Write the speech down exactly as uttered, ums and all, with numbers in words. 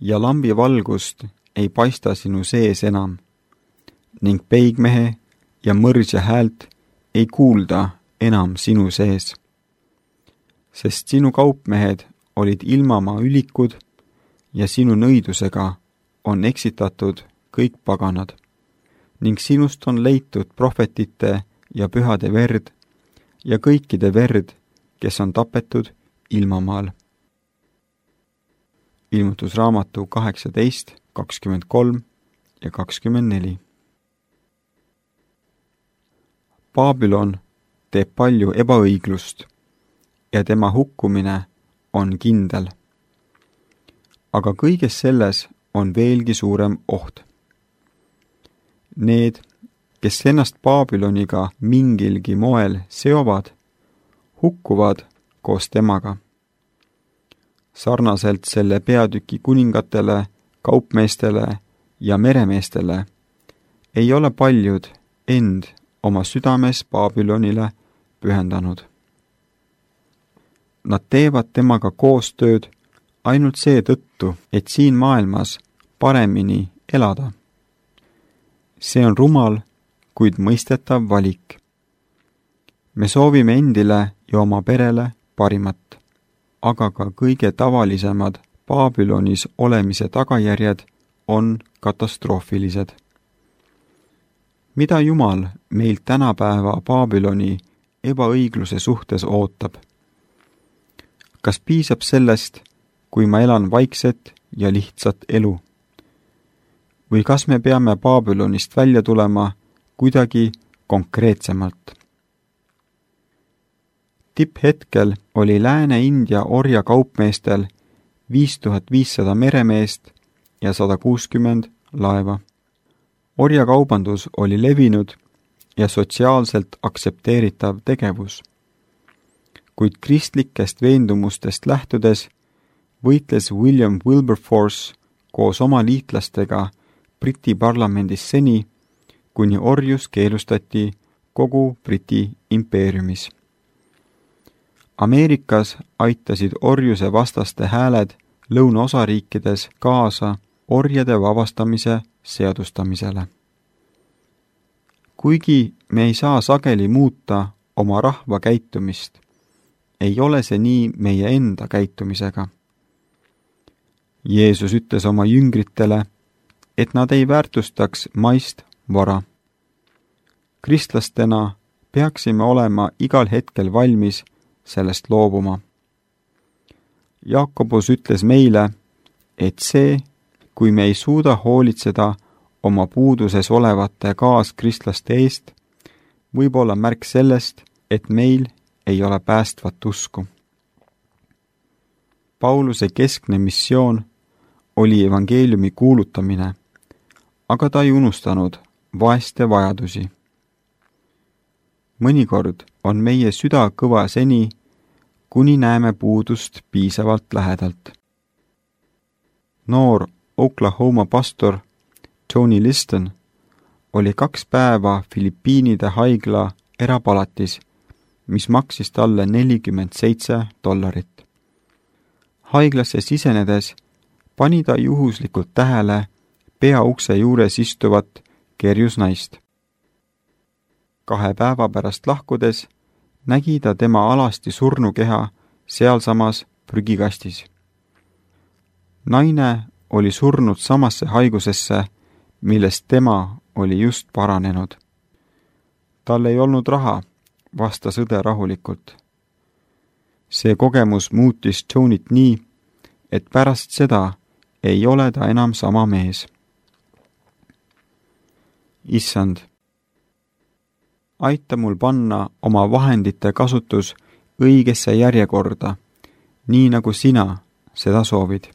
ja lambi valgust ei paista sinu sees enam ning peigmehe ja mõrsja häält ei kuulda enam sinu sees. Sest sinu kaupmehed olid ilmamaa ülikud ja sinu nõidusega on eksitatud kõik paganad ning sinust on leitud prohvetite ja pühade verd ja kõikide verd, kes on tapetud ilmamaal. Ilmutusraamatu kaheksateist, kakskümmend kolm ja kakskümmend neli. Babylon teeb palju ebaõiglust ja tema hukkumine on kindel. Aga kõiges selles on veelgi suurem oht. Need, kes ennast Babyloniga mingilgi moel seovad, hukkuvad koos temaga. Sarnaselt selle peatüki kuningatele, kaupmeestele ja meremeestele ei ole paljud end oma südames Babylonile pühendanud. Nad teevad temaga koostööd ainult seetõttu, et siin maailmas paremini elada. See on rumal, kuid mõistetav valik. Me soovime endile ja oma perele parimat, aga ka kõige tavalisemad Babylonis olemise tagajärjed on katastroofilised. Mida Jumal meilt tänapäeva Babyloni ebaõigluse suhtes ootab? Kas piisab sellest, kui ma elan vaikset ja lihtsat elu? Või kas me peame Babylonist välja tulema kuidagi konkreetsemalt? Tipphetkel oli Lääne-India orja kaupmeestel viis tuhat viissada meremeest ja sada kuuskümmend laeva. Orjakaubandus oli levinud ja sotsiaalselt aktsepteeritav tegevus. Kuid kristlikest veendumustest lähtudes võitles William Wilberforce koos oma liitlastega Briti parlamendis seni, kuni orjus keelustati kogu Briti impeeriumis. Ameerikas aitasid orjuse vastaste hääled lõunaosariikides kaasa orjade vabastamise seadustamisele. Kuigi me ei saa sageli muuta oma rahva käitumist, ei ole see nii meie enda käitumisega. Jeesus ütles oma jüngritele, et nad ei väärtustaks maist vara. Kristlastena peaksime olema igal hetkel valmis sellest loobuma. Jaakobus ütles meile, et see, kui me ei suuda hoolitseda oma puuduses olevate kaaskristlaste eest, võib olla märk sellest, et meil ei ole päästvat usku. Pauluse keskne missioon oli evangeeliumi kuulutamine, aga ta ei unustanud vaeste vajadusi. Mõnikord on meie süda kõva seni, kuni näeme puudust piisavalt lähedalt. Noor Oklahoma pastor Tony Liston oli kaks päeva Filipiinide haigla erapalatis, mis maksis talle nelikümmend seitse dollarit. Haiglasse sisenedes pani ta juhuslikult tähele peaukse juures istuvat kerjusnaist. Kahe päeva pärast lahkudes nägi ta tema alasti surnukeha sealsamas prügikastis. Naine oli surnud samasse haigusesse, millest tema oli just paranenud. Tal ei olnud raha, vastas õde rahulikult. See kogemus muutis Tonyt nii, et pärast seda ei ole ta enam sama mees. Issand, aita mul panna oma vahendite kasutus õigesse järjekorda, nii nagu sina seda soovid.